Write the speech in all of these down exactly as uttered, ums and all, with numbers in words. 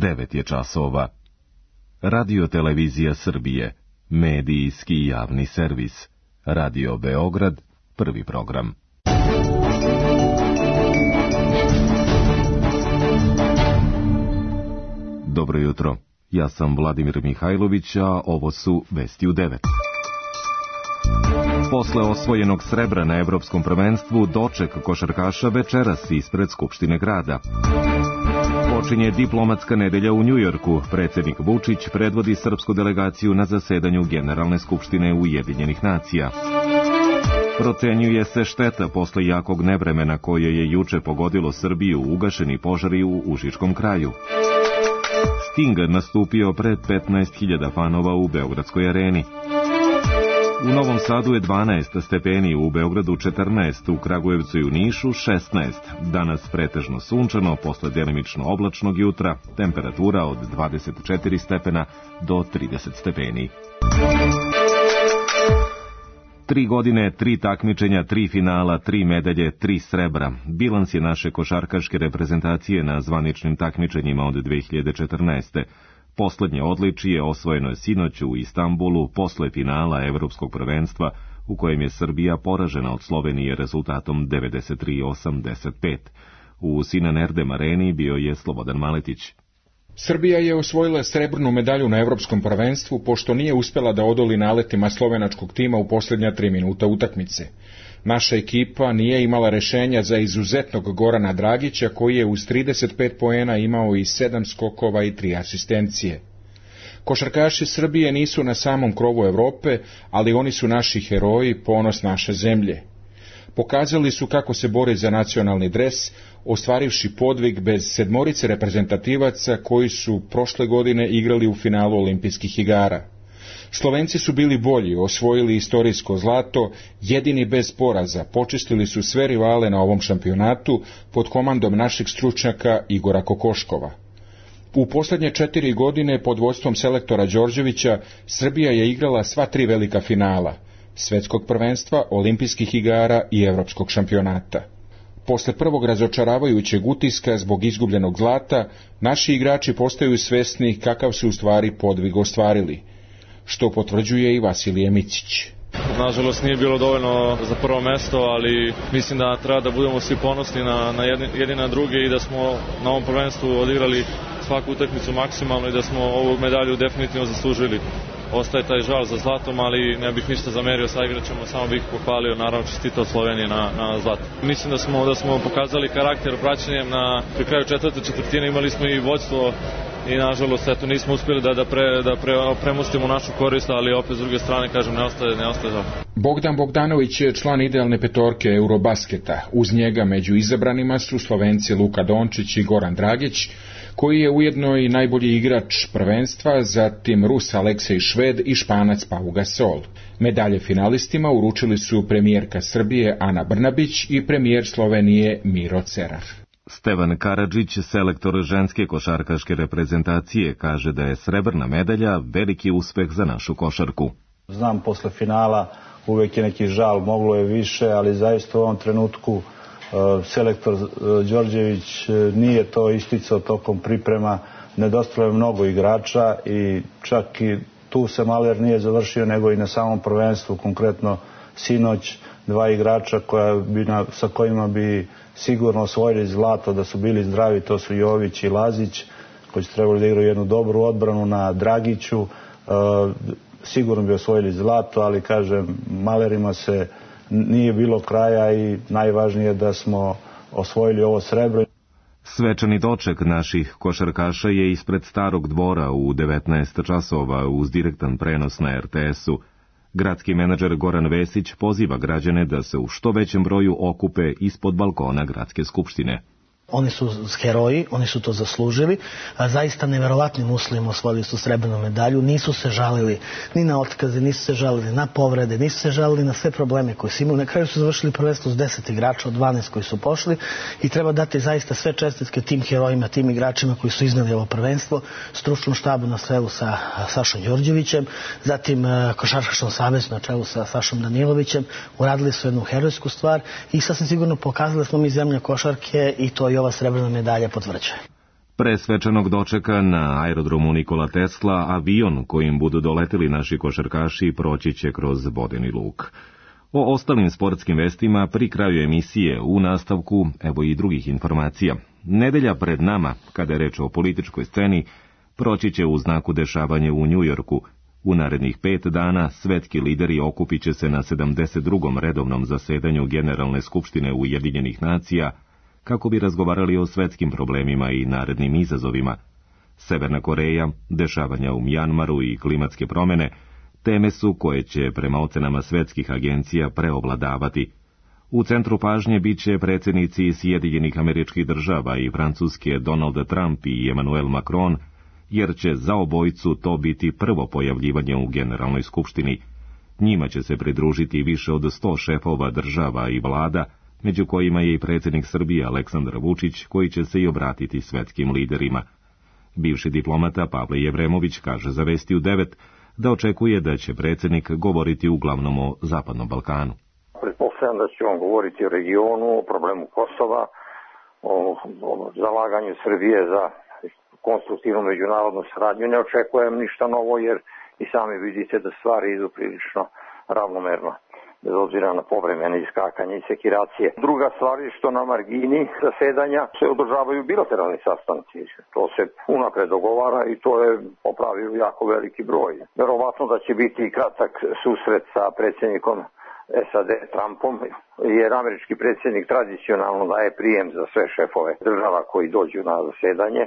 devet je časova. Radio Televizija Srbije, medijski javni servis. Radio Beograd, prvi program. Dobro jutro, ja sam Vladimir Mihajlović, a ovo su vesti u devet. Posle osvojenog srebra na Evropskom prvenstvu, doček košarkaša večeras ispred Skupštine grada. Počinje diplomatska nedelja u Njujorku. Predsednik Vučić predvodi srpsku delegaciju na zasedanju Generalne skupštine Ujedinjenih nacija. Procenjuje se šteta posle jakog nevremena koje je juče pogodilo Srbiju, ugašeni požari u Užičkom kraju. Sting nastupio pred petnaest hiljada fanova u Beogradskoj areni. U Novom Sadu je dvanaest stepeni, u Beogradu četrnaest, u Kragujevcu i u Nišu šesnaest. Danas pretežno sunčano, posle delimično oblačnog jutra, temperatura od dvadeset četiri stepena do trideset stepeni. Tri godine, tri takmičenja, tri finala, tri medalje, tri srebra. Bilans je naše košarkaške reprezentacije na zvaničnim takmičenjima od dve hiljade četrnaeste. Poslednje odličije osvojeno je sinoć u Istanbulu posle finala Evropskog prvenstva, u kojem je Srbija poražena od Slovenije rezultatom devedeset tri osamdeset pet. U Sinan Erdem areni bio je Slobodan Maletić. Srbija je osvojila srebrnu medalju na Evropskom prvenstvu, pošto nije uspela da odoli naletima slovenačkog tima u posljednja tri minuta utakmice. Naša ekipa nije imala rešenja za izuzetnog Gorana Dragića, koji je uz trideset pet poena imao i sedam skokova i tri asistencije. Košarkaši Srbije nisu na samom krovu Evrope, ali oni su naši heroji, ponos naše zemlje. Pokazali su kako se bore za nacionalni dres, ostvarivši podvig bez sedmorice reprezentativaca koji su prošle godine igrali u finalu olimpijskih igara. Slovenci su bili bolji, osvojili istorijsko zlato, jedini bez poraza, počistili su sve rivale na ovom šampionatu pod komandom našeg stručnjaka Igora Kokoškova. U posljednje četiri godine pod vodstvom selektora Đorđevića Srbija je igrala sva tri velika finala, svetskog prvenstva, olimpijskih igara i evropskog šampionata. Posle prvog razočaravajućeg utiska zbog izgubljenog zlata, naši igrači postaju svesni kakav su u stvari podvig ostvarili, što potvrđuje i Vasilije Micić. Nažalost nije bilo dovoljno za prvo mesto, ali mislim da treba da budemo svi ponosni na, na jedni, jedni na druge i da smo na ovom prvenstvu odigrali svaku utakmicu maksimalno i da smo ovu medalju definitivno zaslužili. Ostaje taj žal za zlatom, ali ne bih ništa zamerio sa igračima, samo bih pohvalio, naravno čestitao Sloveniji na, na zlato. Mislim da smo, da smo pokazali karakter praćenjem na pri kraju četvrte četvrtine, imali smo i vođstvo i nažalost eto nismo uspjeli da, da, pre, da pre, premustimo našu korist, ali opet s druge strane kažem ne ostaje, ne ostaje žal. Bogdan Bogdanović je član idealne petorke Eurobasketa. Uz njega među izabranima su Slovenci Luka Dončić i Goran Dragić, koji je ujedno i najbolji igrač prvenstva, zatim Rus Aleksej Šved i Španac Pau Gasol. Medalje finalistima uručili su premijerka Srbije Ana Brnabić i premijer Slovenije Miro Cerar. Stevan Karadžić, selektor ženske košarkaške reprezentacije, kaže da je srebrna medalja veliki uspeh za našu košarku. Znam, posle finala uvek je neki žal, moglo je više, ali zaista u ovom trenutku selektor Đorđević nije to isticao tokom priprema, nedostalo je mnogo igrača i čak i tu se Maler nije završio, nego i na samom prvenstvu, konkretno sinoć, dva igrača koja bi na, sa kojima bi sigurno osvojili zlato da su bili zdravi, to su Jović i Lazić, koji su trebali da igraju jednu dobru odbranu na Dragiću, sigurno bi osvojili zlato, ali kažem, Malerima se nije bilo kraja i najvažnije je da smo osvojili ovo srebro. Svečani doček naših košarkaša je ispred Starog dvora u devetnaest časova uz direktan prenos na er te esu. Gradski menadžer Goran Vesić poziva građane da se u što većem broju okupe ispod balkona Gradske skupštine. Oni su heroji, oni su to zaslužili, a zaista neverovatnim uslovima osvojili su srebrnu medalju, nisu se žalili ni na otkaze, nisu se žalili na povrede, nisu se žalili na sve probleme koje su imali. Na kraju su završili prvenstvo s deset igrača od dvanaest koji su pošli i treba dati zaista sve čestitke tim herojima, tim igračima koji su izneli ovo prvenstvo, stručnom štabu na čelu sa Sašom Đorđevićem, zatim Košarkaškom savezu na čelu sa Sašom Danilovićem. Uradili su jednu herojsku stvar i sasvim sigurno pokazali smo mi zemlja košarke i to i ova srebrna medalja potvrđuje. Pre svečanog dočeka na aerodromu Nikola Tesla avion kojim budu doleteli naši košarkaši proći će kroz Bodeni Luk. O ostalim sportskim vestima pri kraju emisije u nastavku evo i drugih informacija. Nedelja pred nama, kada je reč o političkoj sceni, proći će u znaku dešavanja u Njujorku. U narednih pet dana svetski lideri okupit će se na sedamdeset drugom redovnom zasedanju Generalne skupštine Ujedinjenih nacija kako bi razgovarali o svetskim problemima i narednim izazovima. Severna Koreja, dešavanja u Mjanmaru i klimatske promene teme su koje će prema ocenama svetskih agencija preovladavati. U centru pažnje bit će predsjednici Sjedinjenih Američkih Država i Francuske Donald Trump i Emmanuel Macron, jer će za obojicu to biti prvo pojavljivanje u Generalnoj skupštini. Njima će se pridružiti više od sto šefova država i vlada, među kojima je i predsjednik Srbije Aleksandar Vučić, koji će se i obratiti svetskim liderima. Bivši diplomata Pavle Jevremović kaže za Vesti u devet da očekuje da će predsjednik govoriti uglavnom o Zapadnom Balkanu. Pretpostavljam da će on govoriti o regionu, o problemu Kosova, o, o zalaganju Srbije za konstruktivnu međunarodnu saradnju. Ne očekujem ništa novo jer i sami vidite da stvari idu prilično ravnomerno, bez obzira na povremene iskakanje i sekiracije. Druga stvar je što na margini zasedanja se održavaju bilateralni sastanci. To se unapred dogovara i to je po pravilu jako veliki broj. Verovatno da će biti kratak susret sa predsjednikom S A D Trumpom, jer američki predsjednik tradicionalno daje prijem za sve šefove država koji dođu na zasedanje.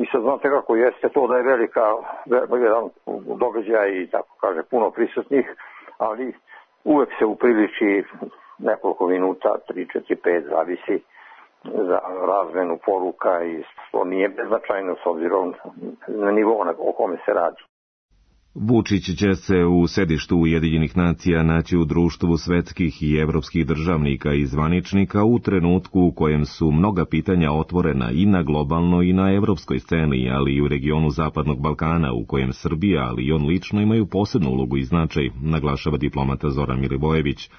I sad znate kako jeste to da je velika, jedan događaj i tako kaže puno prisutnih, ali uvek se upriliči nekoliko minuta, tri, četiri, pet, zavisi za razmenu poruka i to nije beznačajno s obzirom na nivo o kome se radi. Vučić će se u sedištu Ujedinjenih nacija naći u društvu svetskih i evropskih državnika i zvaničnika u trenutku u kojem su mnoga pitanja otvorena i na globalnoj i na evropskoj sceni, ali i u regionu Zapadnog Balkana, u kojem Srbija, ali i on lično imaju posebnu ulogu i značaj, naglašava diplomata Zoran Milivojević.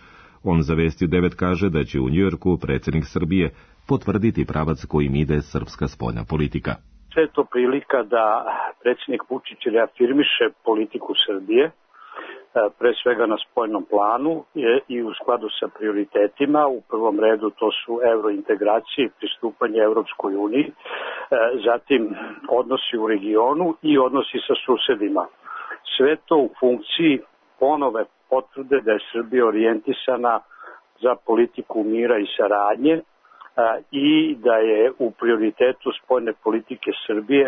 On za Vesti u devet kaže da će u Njujorku predsjednik Srbije potvrditi pravac kojim ide srpska spoljna politika. Sve je to prilika da predsjednik Vučić reafirmiše politiku Srbije, pre svega na spoljnom planu i u skladu sa prioritetima. U prvom redu to su eurointegracije i pristupanje Evropskoj uniji, zatim odnosi u regionu i odnosi sa susedima. Sve to u funkciji ponove potvrde da je Srbija orijentisana za politiku mira i saradnje, i da je u prioritetu spoljne politike Srbije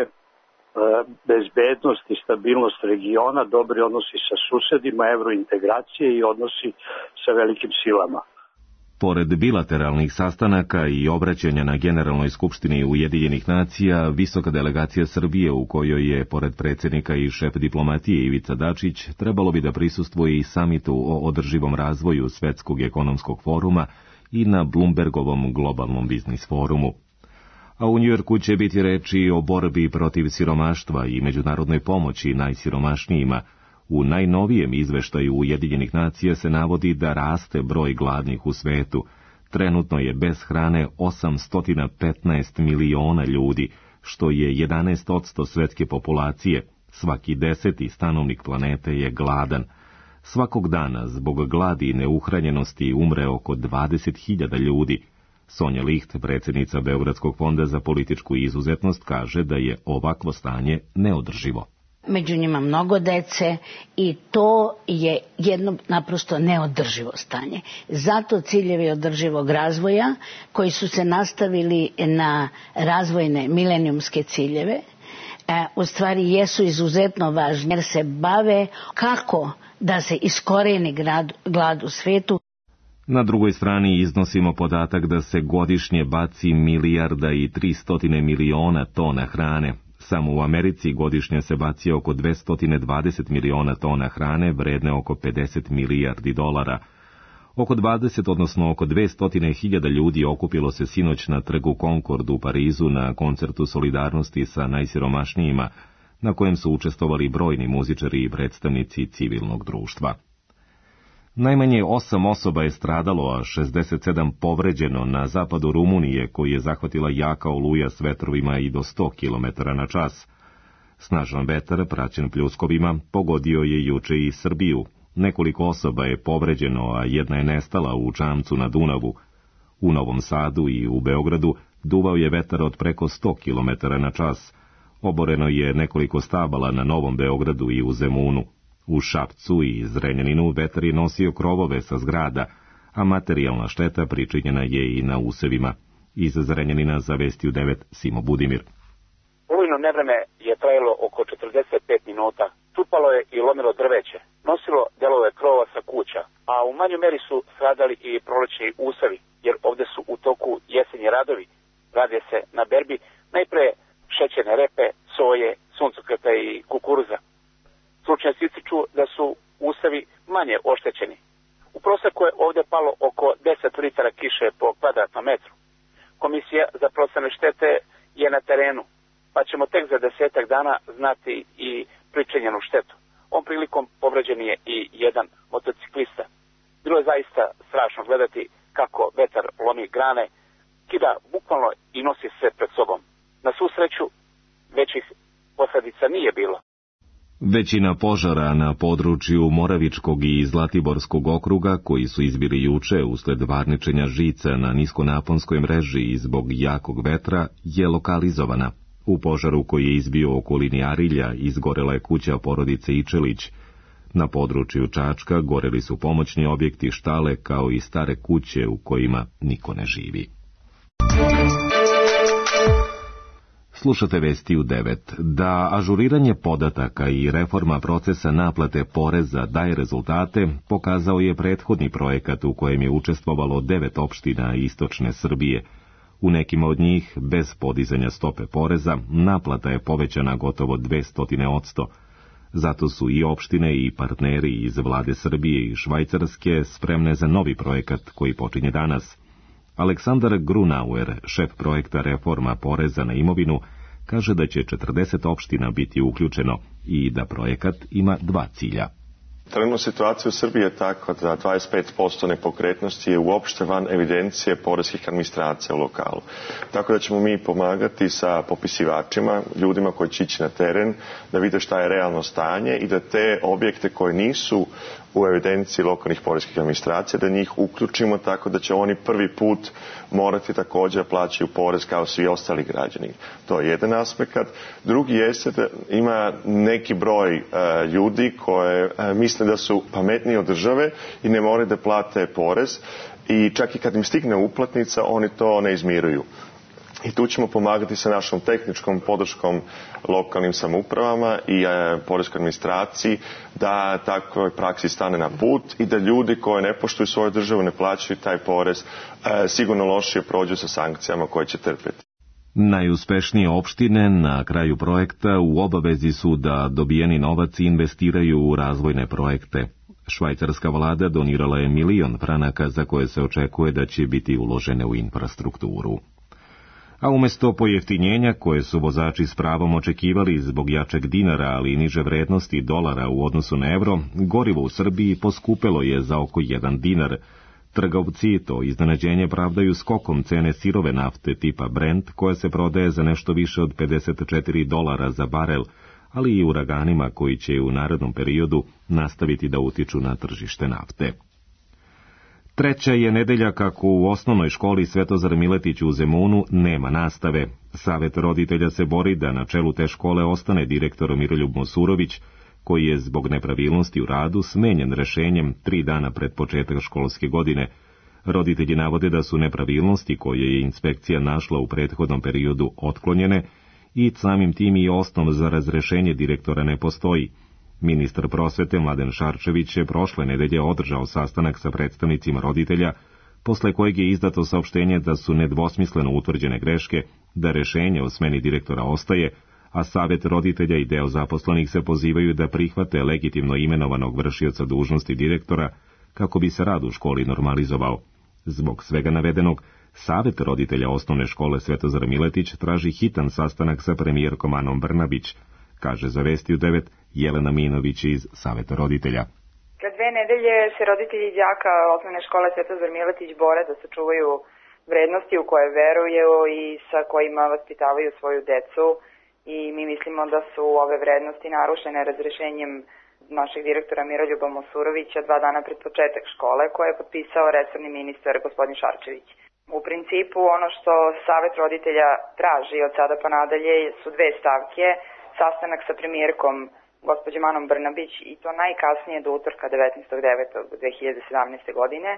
bezbednost i stabilnost regiona, dobri odnosi sa susedima, evrointegracije i odnosi sa velikim silama. Pored bilateralnih sastanaka i obraćanja na Generalnoj skupštini Ujedinjenih nacija, visoka delegacija Srbije, u kojoj je, pored predsjednika i šef diplomatije Ivica Dačić, trebalo bi da prisustvuje i samitu o održivom razvoju Svetskog ekonomskog foruma i na Bloombergovom globalnom biznis forumu. A u Njujorku će biti reči o borbi protiv siromaštva i međunarodnoj pomoći najsiromašnijima. U najnovijem izveštaju Ujedinjenih nacija se navodi da raste broj gladnih u svetu. Trenutno je bez hrane osamsto petnaest miliona ljudi, što je jedanaest posto svetske populacije. Svaki deseti stanovnik planete je gladan. Svakog dana zbog gladi i neuhranjenosti umre oko dvadeset hiljada ljudi. Sonja Licht, predsjednica Beogradskog fonda za političku izuzetnost, kaže da je ovakvo stanje neodrživo. Među njima mnogo dece i to je jedno naprosto neodrživo stanje. Zato ciljevi održivog razvoja koji su se nastavili na razvojne milenijumske ciljeve u stvari jesu izuzetno važni jer se bave kako da se iskoreni glad u svetu. Na drugoj strani iznosimo podatak da se godišnje baci milijarda i tristotine miliona tona hrane. Samo u Americi godišnje se baci oko dvesta dvadeset miliona tona hrane, vredne oko pedeset milijardi dolara. Oko dvadeset, odnosno oko dvesta hiljada ljudi okupilo se sinoć na trgu Concord u Parizu na koncertu solidarnosti sa najsiromašnijima, na kojem su učestvovali brojni muzičari i predstavnici civilnog društva. Najmanje osam osoba je stradalo, a šezdeset sedam povređeno na zapadu Rumunije, koji je zahvatila jaka oluja s vetrovima i do sto kilometara na čas. Snažan vetar, praćen pljuskovima, pogodio je juče i Srbiju. Nekoliko osoba je povređeno, a jedna je nestala u čamcu na Dunavu. U Novom Sadu i u Beogradu duvao je vetar od preko sto kilometara na čas. Oboreno je nekoliko stabala na Novom Beogradu i u Zemunu. U Šapcu i Zrenjaninu vetar je nosio krovove sa zgrada, a materijalna šteta pričinjena je i na usevima. Iz Zrenjanina za Vesti u devet Simo Budimir. Olujno nevreme je trajalo oko četrdeset pet minuta. Čupalo je i lomilo drveće. Nosilo delove krova sa kuća, a u manjoj meri su stradali i prolećni usevi, jer ovde su u toku jesenji radovi. Radi se na berbi najpre šećerne repe, soje, suncokreta i kukuruza. Stručnjaci ističu da su usevi manje oštećeni. U proseku je ovde palo oko deset litara kiše po kvadratnom metru. Komisija za procene štete je na terenu, pa ćemo tek za desetak dana znati i pričinjenu štetu. Ovom prilikom povređen je i jedan motociklista. Bilo je zaista strašno gledati kako vetar lomi grane, kida bukvalno i nosi sve pred sobom. Na svu sreću, većih posledica nije bilo. Većina požara na području Moravičkog i Zlatiborskog okruga, koji su izbili juče usled varničenja žica na niskonaponskoj mreži i zbog jakog vetra, je lokalizovana. U požaru koji je izbio u okolini Arilja izgorela je kuća porodice Ičelić. Na području Čačka goreli su pomoćni objekti, štale, kao i stare kuće u kojima niko ne živi. Slušate Vesti u devet. Da ažuriranje podataka i reforma procesa naplate poreza daje rezultate, pokazao je prethodni projekat u kojem je učestvovalo devet opština istočne Srbije. U nekima od njih, bez podizanja stope poreza, naplata je povećana gotovo dvesta posto. Zato su i opštine i partneri iz vlade Srbije i Švajcarske spremne za novi projekat koji počinje danas. Aleksandar Grunauer, šef projekta reforma poreza na imovinu, kaže da će četrdeset opština biti uključeno i da projekat ima dva cilja. Trenutna situacija u Srbiji je takva da dvadeset pet posto nepokretnosti je uopšte van evidencije poreskih administracija u lokalu. Tako da ćemo mi pomagati sa popisivačima, ljudima koji će ići na teren, da vide šta je realno stanje i da te objekte koje nisu u evidenciji lokalnih poreskih administracija, da njih uključimo tako da će oni prvi put morati također plaćaju porez kao svi ostali građani. To je jedan aspekt. Drugi jeste da ima neki broj uh, ljudi koje uh, misle da su pametniji od države i ne moraju da plate porez i čak i kad im stigne uplatnica oni to ne izmiruju. I tu ćemo pomagati sa našom tehničkom podrškom lokalnim samoupravama i e, poreskoj administraciji da takvoj praksi stane na put i da ljudi koji ne poštuju svoju državu, ne plaćaju taj porez, e, sigurno lošije prođu sa sankcijama koje će trpeti. Najuspešnije opštine na kraju projekta u obavezi su da dobijeni novac investiraju u razvojne projekte. Švajcarska vlada donirala je milion franaka za koje se očekuje da će biti uložene u infrastrukturu. A umjesto pojeftinjenja koje su vozači s pravom očekivali zbog jačeg dinara, ali i niže vrednosti dolara u odnosu na evro, gorivo u Srbiji poskupelo je za oko jedan dinar. Trgovci to iznenađenje pravdaju skokom cene sirove nafte tipa Brent, koja se prodaje za nešto više od pedeset četiri dolara za barel, ali i uraganima koji će u narednom periodu nastaviti da utiču na tržište nafte. Treća je nedelja kako u osnovnoj školi Svetozar Miletić u Zemunu nema nastave. Savet roditelja se bori da na čelu te škole ostane direktor Miroljub Mosurović, koji je zbog nepravilnosti u radu smenjen rešenjem tri dana pred početak školske godine. Roditelji navode da su nepravilnosti koje je inspekcija našla u prethodnom periodu otklonjene i samim tim i osnov za razrešenje direktora ne postoji. Ministar prosvete Mladen Šarčević je prošle nedelje održao sastanak sa predstavnicima roditelja, posle kojeg je izdato saopštenje da su nedvosmisleno utvrđene greške, da rešenje o smeni direktora ostaje, a savet roditelja i deo zaposlenih se pozivaju da prihvate legitimno imenovanog vršioca dužnosti direktora kako bi se rad u školi normalizovao. Zbog svega navedenog, savet roditelja osnovne škole Svetozar Miletić traži hitan sastanak sa premijerkom Anom Brnabić, kaže za Vesti u devet Jelena Minović iz saveta roditelja. Za dve nedelje se roditelji đaka osnovne škole Svetozar Miletić bore da sačuvaju vrednosti u koje veruju i sa kojima vaspitavaju svoju decu i mi mislimo da su ove vrednosti narušene razrešenjem našeg direktora Miroljuba Mosurovića dva dana pred početak škole koje je potpisao resorni ministar gospodin Šarčević. U principu ono što Savet roditelja traži od sada pa nadalje su dve stavke, sastanak sa premijerkom gospođom Anom Brnabić i to najkasnije do utorka devetnaestog devetog dve hiljade sedamnaeste. godine,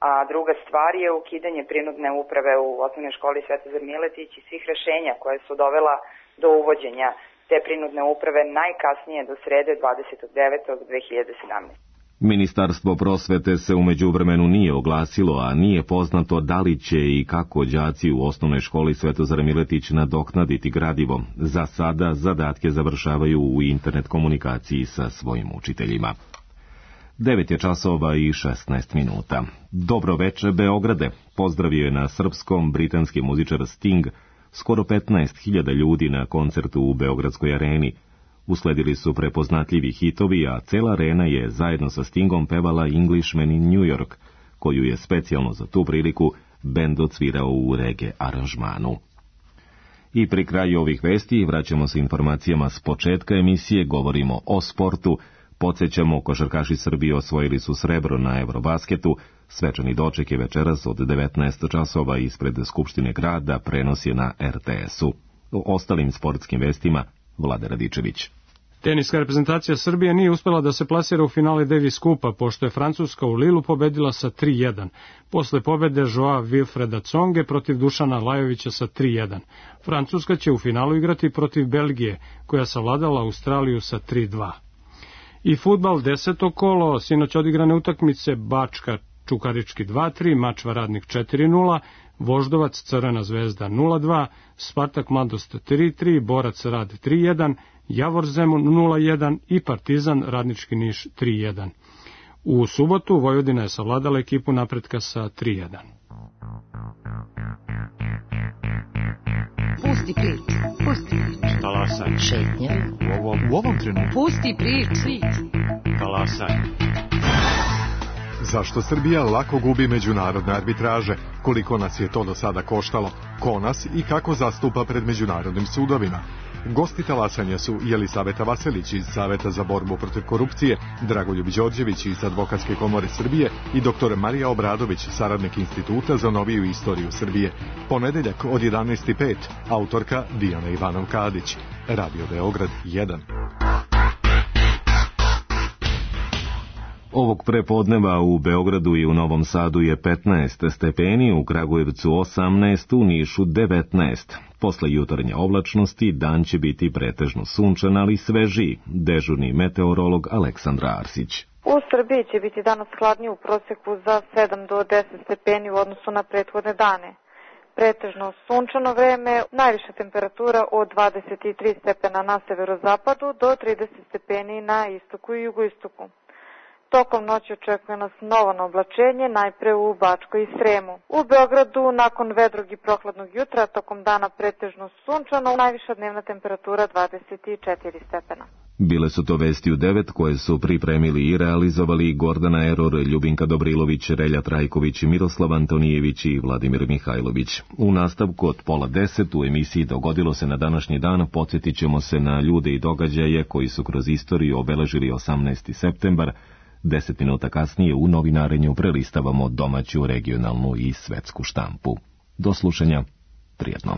a druga stvar je ukidanje prinudne uprave u osnovnoj školi Svetozar Miletić i svih rešenja koje su dovela do uvođenja te prinudne uprave najkasnije do srede dvadesetog devetog dve hiljade sedamnaeste. Ministarstvo prosvete se u međuvremenu nije oglasilo, a nije poznato da li će i kako đaci u osnovnoj školi Svetozar Miletić nadoknaditi gradivo. Za sada zadatke završavaju u internet komunikaciji sa svojim učiteljima. devet je časova i šesnaest minuta. Dobro veče, Beograde. Pozdravio je na srpskom britanski muzičar Sting skoro petnaest hiljada ljudi na koncertu u Beogradskoj areni. Usledili su prepoznatljivi hitovi, a cela arena je zajedno sa Stingom pevala Englishman in New York, koju je specijalno za tu priliku bend odsvirao u reggae aranžmanu. I pri kraju ovih vesti vraćamo se informacijama s početka emisije, govorimo o sportu. Podsjećamo, košarkaši Srbije osvojili su srebro na Eurobasketu. Svečani doček je večeras od devetnaest časova ispred Skupštine grada, prenos je na er te esu. O ostalim sportskim vestima Vlade Radičević. Teniska reprezentacija Srbije nije uspela da se plasira u finale Davis Kupa, pošto je Francuska u Lilu pobedila sa tri jedan. Posle pobede Joa Wilfreda Tsonge protiv Dušana Lajovića sa tri jedan. Francuska će u finalu igrati protiv Belgije, koja savladala Australiju sa tri dva. I fudbal deseto kolo, sinoć odigrane utakmice Bačka Čukarički dva tri, Mačva Radnik četiri nula, Voždovac Crvena zvezda nula dva, Spartak Mladost tri tri, Borac Rad tri jedan, Javor Zemun nula jedan i Partizan Radnički Niš tri jedan. U subotu Vojvodina je savladala ekipu Napretka sa tri jedan. Pusti priču, pusti priču. Talasaj. Šetnja. U ovom, u ovom trenutku. Pusti priču. Talasaj. Zašto Srbija lako gubi međunarodne arbitraže? Koliko nas je to do sada koštalo? Ko nas i kako zastupa pred međunarodnim sudovima? Gosti talasanja su Jelisaveta Vaselić iz Saveta za borbu protiv korupcije, Dragoljub Đorđević iz Advokatske komore Srbije i doktor Marija Obradović, saradnik Instituta za noviju istoriju Srbije. Ponedeljak od jedanaest i pet, autorka Dijana Ivanov-Kadić. Radio Beograd jedan. Ovog prepodneva u Beogradu i u Novom Sadu je petnaest stepeni, u Kragujevcu osamnaest, u Nišu devetnaest. Posle jutarnje oblačnosti dan će biti pretežno sunčan, ali svežiji. Dežurni meteorolog Aleksandra Arsić. U Srbiji će biti danas hladnije u proseku za sedam do deset stepeni u odnosu na prethodne dane. Pretežno sunčano vreme, najviša temperatura od dvadeset tri stepena na severozapadu do trideset stepeni na istoku i jugoistoku. Tokom noći očekuje nas novo oblačenje, najpre u Bačkoj i Sremu. U Beogradu nakon vedrog i prohladnog jutra, tokom dana pretežno sunčano, najviša dnevna temperatura dvadeset četiri stepena. Bile su to vesti u devet koje su pripremili i realizovali Gordana Eror, Ljubinka Dobrilović, Relja Trajković, Miroslav Antonijević i Vladimir Mihajlović. U nastavku od pola deset u emisiji Dogodilo se na današnji dan podsjetit ćemo se na ljude i događaje koji su kroz istoriju obeležili osamnaesti septembar. Deset minuta kasnije u novinarenju prelistavamo domaću, regionalnu i svetsku štampu. Do slušanja, prijetno.